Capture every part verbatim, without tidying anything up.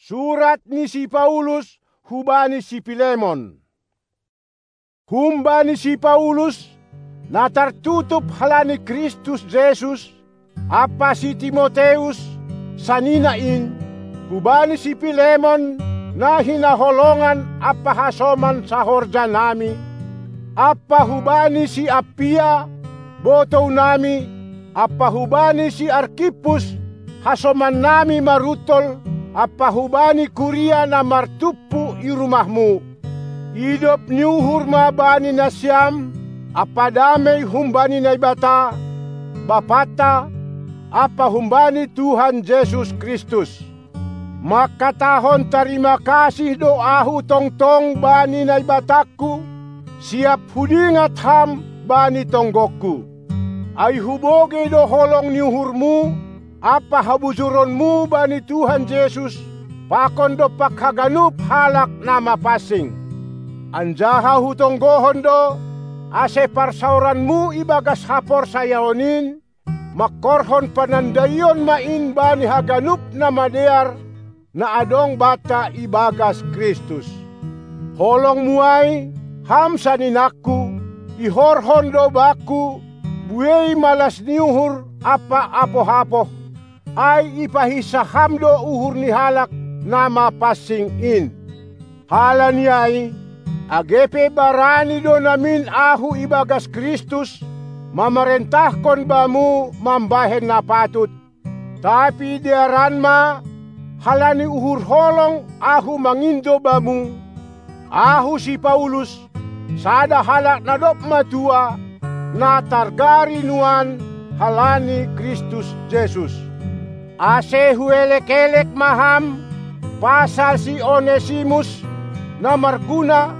Surat ni si Paulus hubani si Pilemon. Humbani si Paulus, na tartutup halani Kristus Jesus, ampa si Timoteus, sanina in, hubani si Pilemon, na hinaholongan ampa hasoman sahorjanami, ampa hubani si Appia, botounami, ampa hubani si Arkippus, hasomannami maruntol, ampa hubani kuria na martumpu i rumahmu. Idop ni uhur ma bani nasiam, ampa damei humbani Naibata, Bapanta, ampa humbani Tuhan Jesus Kristus. Mangkatahon tarima kasih do ahu tongtong bani Naibatangku, siap hudingat ham bani tonggongku. Ai hubogei do holong ni uhurmu, ampa habujuronmu bani Tuhan Jesus, pakon dompak haganup halak na mapansing. Anjaha hutonggohon do, ase parsaoranmu ibagas haporsayaon in, mangkorhon panandaion ma in bani haganup na madear, na adong banta ibagas Kristus. Holongmu ai, ham saninangku, ihorhon do bakku, buei malas ni uhur ampa apoh-apoh, ai ipahinsah ham do uhur ni halak na mapansing in. Halani ai, age pe barani do namin ahu ibagas Kristus, mamarentahkon bamu mambahen na patut, tapi dearan ma, halani uhur holong ahu mangindo bamu, ahu si Paulus, sada halak na dob matua, na targari nuan halani Kristus Jesus. Ase huelek-elek ma ham pasal si Onesimus, na marguna,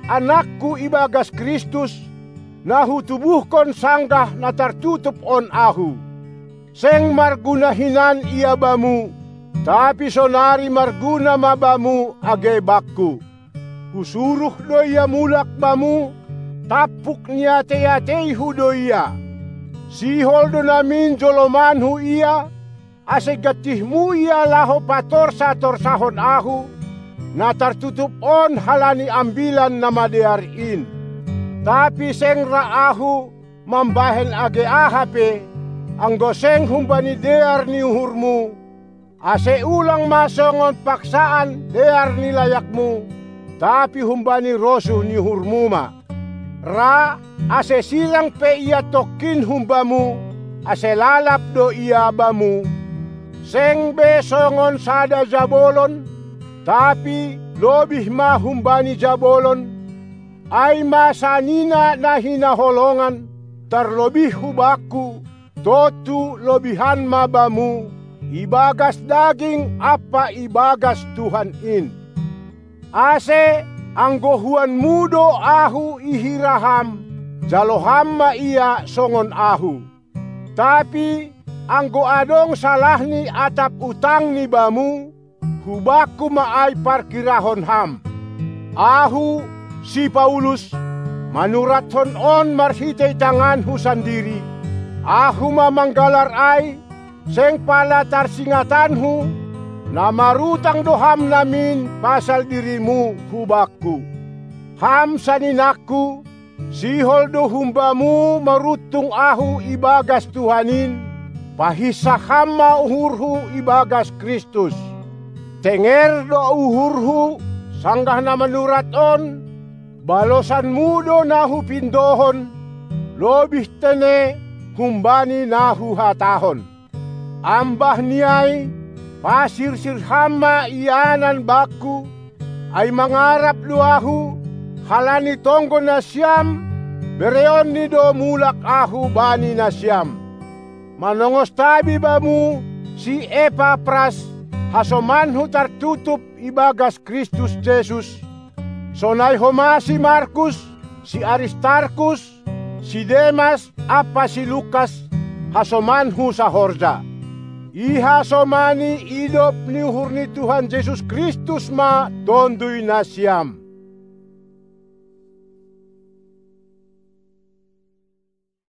anakku ibagas Kristus, na hutubuhkon sanggah na tartutup on ahu. Seng marguna hinan ia bamu, tapi sonari marguna ma bamu age bakku. Husuruh do ia mulak bamu, tampuk niatei-ateihu do ia. Sihol do namin jolomanhu ia, ase gantihmu ia laho patorsa-torsahon ahu, na tartutup on halani Ambilan Namadear in. Tapi seng ra ahu mambahen age aha pe, anggo seng humbani dear ni uhurmu, ase ulang ma songon paksaan dear ni layakmu, tapi humbani rosuh ni uhurmu ma. Ra, ase silang pe ia tongkin humbamu, ase lalap do ia bamu, seng be songon sada jabolon, tapi lobih ma humbani jabolon, ai ma sanina na hinaholongan, tarlobih hu bakku, tontu lobihan ma bamu, ibagas daging ampa ibagas Tuhan in. Ase, anggo huanmu do ahu ihira ham, jalo ham ma ia songon ahu. Tapi, anggo adong salahni atap utangni bamu, hu bakku ma ai parkirahon ham. Ahu, si Paulus, manurathon on marhitei tanganhu sandiri. Ahu ma manggalar ai, seng pala tarsingatanhu, na marutang do ham namin pasal dirimu hu bakku. Ham saninangku, sihol do humbamu maruntung ahu ibagas Tuhan in, pahinsah ham ma uhurhu ibagas Kristus. Tenger do uhurhu, sanggah na manurat on, balosanmu do na hupindohon, lobih tene humbani na huhatahon. Ambah ni ai, pasirsir ham ma ianan bakku, ai mangarap do ahu, halani tonggo nasiam, bereonni do mulak ahu bani nasiam. Manongos tabi bamu si Epapras, hasomanhu tartutup ibagas Kristus Jesus, sonai homa si Markus, si Aristarkus, si Demas ampa si Lukas, hasomanhu sahorja. Ihasomani idop ni uhur ni Tuhan Jesus Kristus ma tonduy nasiam.